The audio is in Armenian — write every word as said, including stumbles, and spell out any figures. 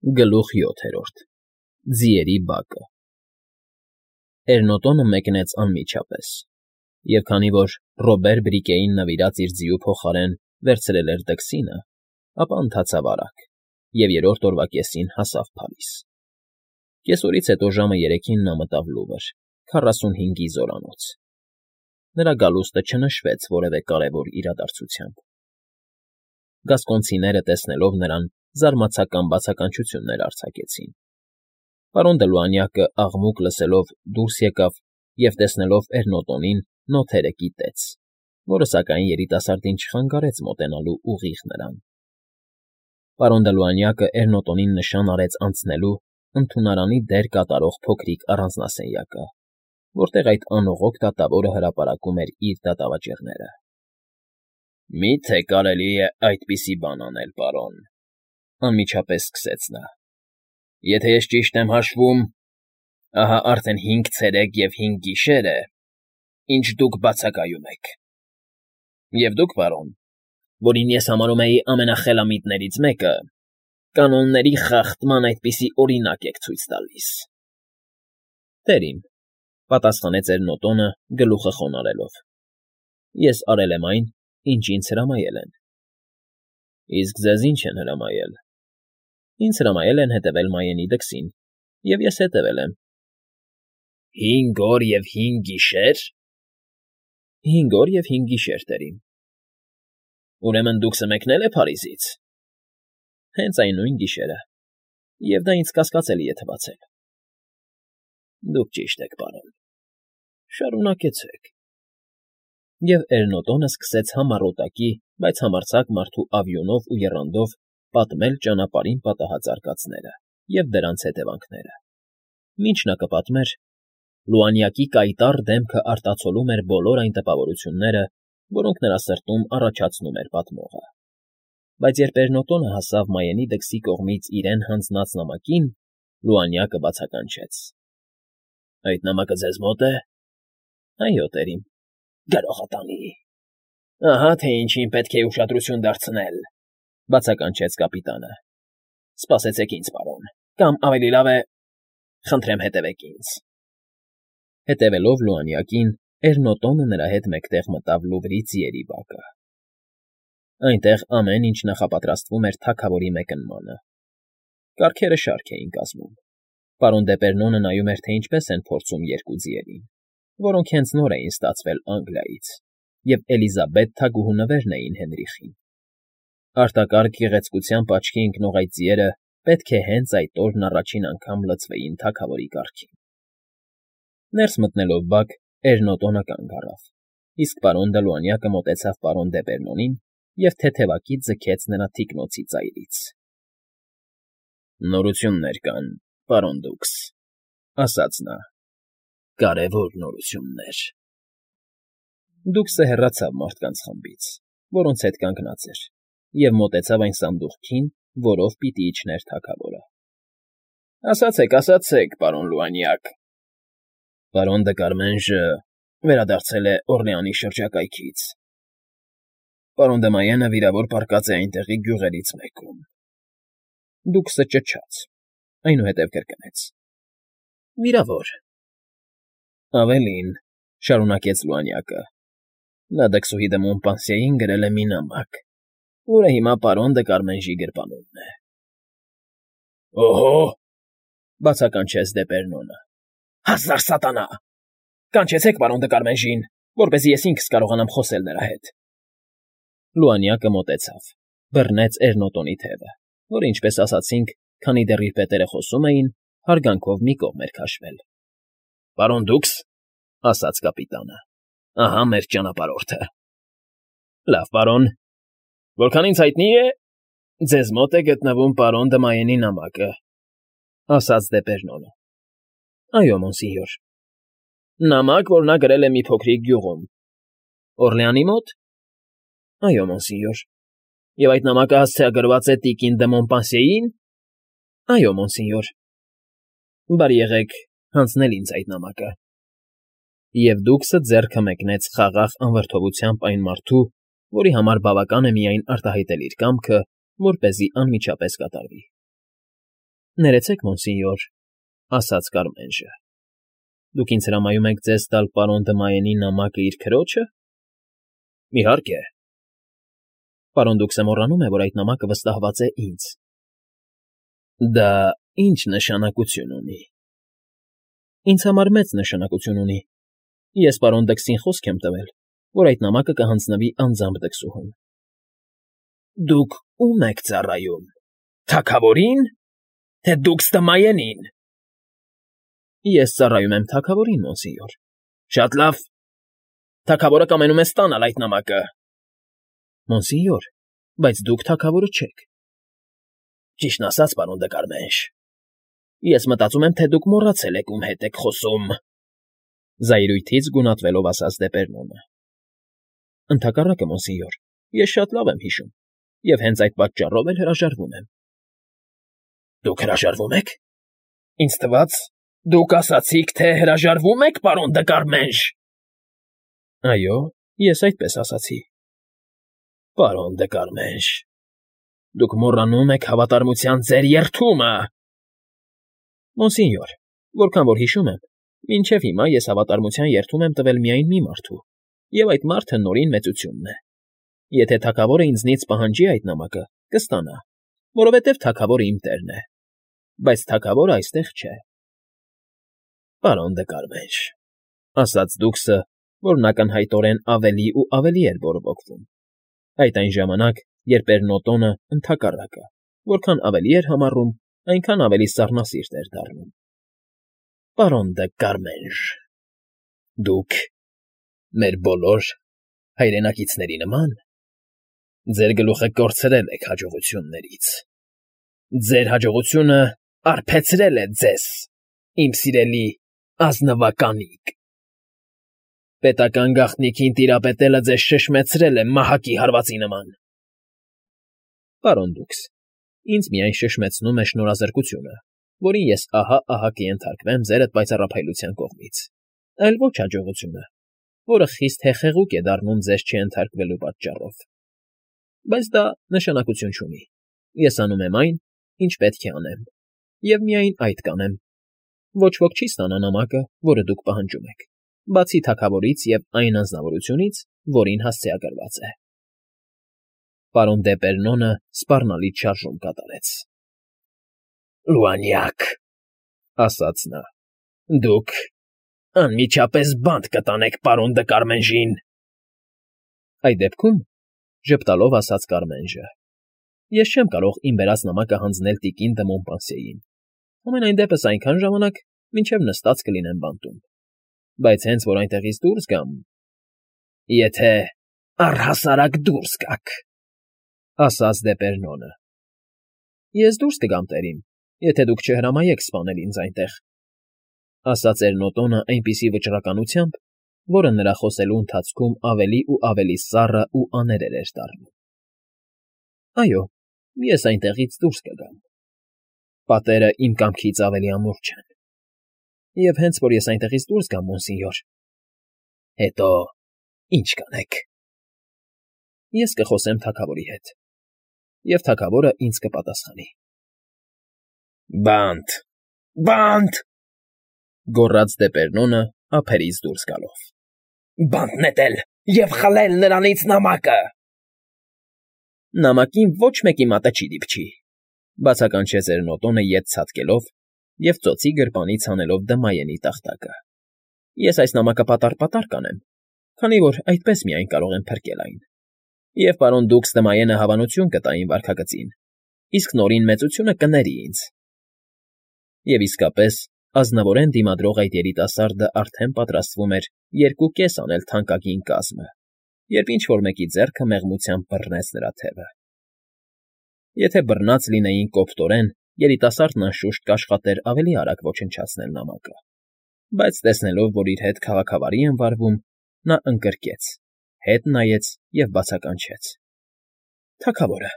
Գլուխ յոթերորդ Ձիերի բակը Էրնոտոնը մեկնեց անմիջապես, և քանի որ Ռոբեր Բրիկեին նվիրած իր ձիու փոխարեն վերցրել էր դքսինը, ապա ընթացավ արագ և երրորդ օրվա կեսին հասավ Փարիզ։ Կեսօրից հետո ժամը երեքին նա մտավ Լուվր, քառասունհինգի զորանոց։ Նրա գալուստը չնշվեց որևէ կարևոր իրադարձությամբ։ Գասկոնցիները, տեսնելով նրան, զարմացական բացականչություններ արձակեցին։ Պարոն Դլուանյակը, աղմուկ լսելով, դուրս եկավ և, տեսնելով Էրնոտոնին, նոթերը կիտեց, որը, սակայն, երիտասարդին չխանգարեց մոտենալու ուղիղ նրան։ Պարոն Դլուանյակը Էրնոտոնին նշան արեց անցնելու ընդունարանի դեր կատարող փոքրիկ առանձնասենյակը, որտեղ այդ անողոք դատավորը հրապարակում էր իր դատավճիռները։ ֊ Մի՞թե կարելի է այդպիսի բան անել, պարոն,֊ անմիջապես սկսեց նա։֊ Եթե ես ճիշտ եմ հաշվում, ահա արդեն հինգ ցերեկ և հինգ գիշեր է, ինչ դուք բացակայում եք։ Եվ դուք, պարոն, որին ես համարում էի ամենախելամիտներից մեկը, կանոնների խախտման այդպիսի օրինակ եք ցույց տալիս։ ֊ Տերիմ,֊ պատասխանեց Էրնոտոնը, գլուխը խոնարհելով,֊ ես արել եմ այն, ինչ ինձ հրամայել են։ ֊ Իսկ ձեզ ի՞նչ են հրամայել։ ֊ Ինձ հրամայել են հետևել Մայենի դքսին, և ես հետևել եմ։ ֊ Հինգ օր և հինգ գիշե՞ր։ ֊ Հինգ օր և հինգ գիշեր, տերիմ։ ֊ Ուրեմն դուքսը մեկնել է Փարիզից։ ֊ Հենց այն նույն գիշերը, և դա ինձ կասկածելի է թվացել։ ֊ Դուք ճիշտ եք, պարոն, շարունակեցեք։ Եվ Էրնոտոնը սկսեց համառոտակի, բայց համարձակ մարդու ավյունով ու եռանդով պատմել ճանապարհին պատահած արկածները և դրանց հետևանքները։ Մինչ նա կպատմեր, Լուանյակի կայտառ դեմքը արտացոլում էր բոլոր այն տպավորությունները, որոնք նրա սրտում առաջացնում էր պատմողը։ Բայց երբ Էրնոտոնը հասավ Մայենի դքսի կողմից իրեն հանձնած նամակին, Լուանյակը բացականչեց. ֊ Այդ նամակը ձեզ մո՞տ է։ ֊ Այո, տերիմ։ ֊ Գրողատանի։ Ահա թե ինչին պետք է ուշադրություն դարձնել,֊ բացականչեց կապիտանը։ ֊ Սպասեցեք ինձ, պարոն, կամ ավելի լավ է, խնդրեմ հետևեք ինձ։ Հետևելով Լուանյակին, Էրնոտոնը նրա հետ մեկտեղ մտավ Լուվրի ձիերի բակը։ Այնտեղ ամեն ինչ նախապատրաստվում էր թագավորի մեկնմանը։ Կառքերը շարք էին կազմում։ Պարոն Դեպերնոնը նայում էր, թե ինչպես են փորձում երկու ձիերին, որոնք հենց նոր էին ստացվել Անգլիայից, և Էլիզաբետ թագուհու նվերն էին Հենրիխին։ Արտակարգ գեղեցկությամբ աչքի ընկնող այդ ձիերը պետք է հենց այդ օրն առաջին անգամ լցվեին թագավորի կառքին։ Ներս մտնելով բակ, Էրնոտոնը կանգ առավ, իսկ պարոն Դլուանյակը մոտեցավ պարոն Դեպերնոնին և թեթևակի ձգեց նրա թիկնոցի ծայրից։ ֊ Նորություններ կան, պարոն դուքս,֊ ասաց նա,֊ կարևոր նորություններ։ Դուքսը հեռացավ մարդկանց խմբից, որոնց հետ կանգնած էր, և մոտեցավ այն սանդուղքին, որով պիտի իջներ թագավորը։ ֊ Ասացեք, ասացեք, պարոն Լուանյակ։ ֊ Պարոն Դկարմենժը վերադարձել է Օռլեանի շրջակայքից։ Պարոն Դմայենը վիրավոր պառկած է այնտեղի գյուղերից մեկում։ Դուքսը ճչաց, այնուհետև կրկնեց. ֊ Վիրավոր։ ֊ Ավելին,֊ շարունակեց Լուանյակը,֊ նա դքսուհի դը Մոնպանսիեին գրել է մի նամակ, որը հիմա պարոն Դկարմենժի գրպանումն է։ ֊ Օհո՜,֊ բացականչեց Դեպերնոնը։֊ Հազար սատանա… Կանչեցեք պարոն Դկարմենժին, որպեսզի ես ինքս կարողանամ խոսել նրա հետ։ Լուանյակը մոտեցավ, բռնեց Էրնոտոնի թևը, որը, ինչպես ասացինք, քանի դեռ իր պետերը խոսում էին, հարգանքով մի կողմ էր քաշվել։ ֊ Պարոն դուքս,֊ ասաց կապիտանը,֊ ահա մեր ճանապարհորդը։ ֊ Լավ, պարոն, որքան ինձ հայտնի է, ձեզ մոտ է գտնվում պարոն Դմայենի նամակը,֊ ասաց Դեպերնոնը։ ֊ Այո, մոնսինյոր։ ֊ Նամակ, որ նա գրել է մի փոքրիկ գյուղում։ ֊ Օռլեանի մոտ։ ֊ Այո, մոնսինյոր։ ֊ Եվ այդ նամակը հասցեագրված է տիկին դը Մոնպանսիեին։ ֊ Այո, մոնսինյոր։ ֊ Բարի եղեք հանձնել ինձ այդ նամակը։ Եվ դուքսը ձեռքը մեկնեց խաղաղ անվրդովությամբ այն մարդու, որի համար բավական է միայն արտահայտել իր կամքը, որպեսզի անմիջապես կատարվի։ Ներեցեք, մոնսինյոր, ասաց Կարմենժը։ Դուք ինձ հրամայում եք ձեզ տալ պարոն Դմայենի նամակը իր քրոջը։ Իհարկե։ Պարոն Դուքսը մոռանում է, որ այդ նամակը վստահված է ինձ։ Դա ի՞նչ նշանակություն ունի։ Ինձ համար մեծ նշանակություն ունի։ Ես պարոն Դքսին խոսք եմ տվել, որ այդ նամակը կհանձնվի անձամբ դքսուհուն։ Դուք ո՞ւմ եք ծառայում։ Թագավորի՞ն, թե Դուքս Դմայենին։ Ես ծառայում եմ թագավորին, մոնսինյոր։ Շատ լավ։ Թագավորը կամենում է ստանալ այդ նամակը։ Մոնսինյոր, բայց դուք թագավորը չեք։ Ճիշտն ասած, պարոն դե Կարմենժ, ես մտածում եմ, թե դուք մոռացել եք ում հետ եք խոսում։ Զայրույթից գունատվելով ասաց Դեպերնոնը։ Ընդհակառակը, մոնսինյոր, ես շատ լավ եմ հիշում, և հենց այդ պատճառով էլ հրաժարվում եմ։ Դուք հրաժարվում եք։ Ինձ թվաց, դուք ասացիք, թե հրաժարվում եք, պարոն դե Կարմենժ։ Այո, ես այդպես ասացի։ Պարոն դե Կարմենժ, դուք մոռանում եք հավատարմության ձեր երդումը։ Մոնսինյոր, որքան որ հիշում եմ, մինչև հիմա ես հավատարմության երդում եմ տվել միայն մի մարդու, և այդ մարդը Նորին մեծությունն է։ Եթե թագավորը ինձնից պահանջի այդ նամակը, կստանա, որովհետև թագավորը իմ տերն է, բայց թագավորը այստեղ չէ։ Պարոն դե Կարմենժ, ասաց Դուքսը, որն ակնհայտորեն ավելի ու ավելի էր բորբոքվում։ Այդ այն ժամանակ, երբ Էրնոտոնը ընդհակառակը, որքան ավելի էր համառում, այնքան ավելի սառնասիրտ էր դառնում։ Պարոն դե Կարմենժ, դուք մեր բոլոր հայրենակիցների նման ձեր գլուխը կորցրել եք հաջողություններից։ Ձեր հաջողությունը արբեցրել է ձեզ, իմ սիրելի ազնվականիկ։ Պետական գաղտնիքին տիրապետելը ձեզ շշմեցրել է մահակի հարվածի նման։ Պարոն Դուքս, ինձ միայն շշմեցնում է շնորհազրկությունը, որին ես ահա֊ահա կենթարկվեմ ձերդ պայծառափայլության կողմից, այլ ոչ հաջողությունը, որը խիստ հեխեղուկ է դառնում ձեզ չենթարկվելու պատճառով։ Բայց դա նշանակություն չունի։ Ես անում եմ այն, ինչ պետք է անեմ, և միայն այդ կանեմ։ Ոչ ոք չի ստանա նամակը, որը դուք պահանջում եք, բացի թագավորից և այն անձնավորությունից, որին հասցեագրված է։ Պարոն Դեպերնոնը սպառնալից շարժում կատարեց։ Լուանյակ, ասաց նա, դուք անմիջապես բանտ կտանեք պարոն դե Կարմենժին։ Այդ դեպքում, ժպտալով ասաց Կարմենժը, ես չեմ կարող իմ բերած նամակը հանձնել տիկին դե Մոնպանսիեին, համենայն դեպս այնքան ժամանակ, մինչև նստած կլինեմ բանտում, բայց հենց որ այնտեղից դուրս գամ… Եթե առհասարակ դուրս գաք, ասաց Դեպերնոնը։ Ես դուրս կգամ, տերիմ, եթե դուք չհրամայեք սպանել ինձ այնտեղ, ասաց Էրնոտոնը այնպիսի վճռականությամբ, որը նրա խոսելու ընթացքում ավելի ու ավելի սառը ու աներել էր դառնում։ Այո, ես այնտեղից դուրս կգամ։ Պատերը իմ կամքից ավելի ամուր չեն։ Եվ հենց որ ես այնտեղից դուրս գամ, մոնսինյոր… Հետո ի՞նչ կանեք։ Ես կխոսեմ թագավորի հետ, և թագավորը ինձ կպատասխանի։ Բանտ, բանտ, գոռաց Դեպերնոնը ափերից դուրս գալով։ Բանտ նետել և խլել նրանից նամակը։ Նամակին ոչ մեկի մատը չի դիպչի, բացականչեց Էրնոտոնը ետ ցատկելով և ծոցի գրպանից հանելով Դմայենի տախտակը։ Ես այս նամակը պատառ֊պատառ կանեմ, քանի որ այդպես միայն կարող եմ փրկել այն։ Եվ պարոն Դուքս Դմայենը հավանություն կտա իմ վարքագծին, իսկ Նորին մեծությունը կների ինձ։ Եվ իսկապես, ազնվորեն դիմադրող այդ երիտասարդը արդեն պատրաստվում էր երկու կես անել թանկագին կազմը, երբ ինչ֊որ մեկի ձեռքը մեղմությամբ բռնեց նրա թևը։ Եթե բռնած լինեին կոպտորեն, երիտասարդն անշուշտ կաշխատեր ավելի արագ ոչնչացնել նամակը, բայց տեսնելով, որ իր հետ քաղաքավարի են վարվում, նա ընկրկեց, հետ նայեց և բացականչեց. Թագավորը։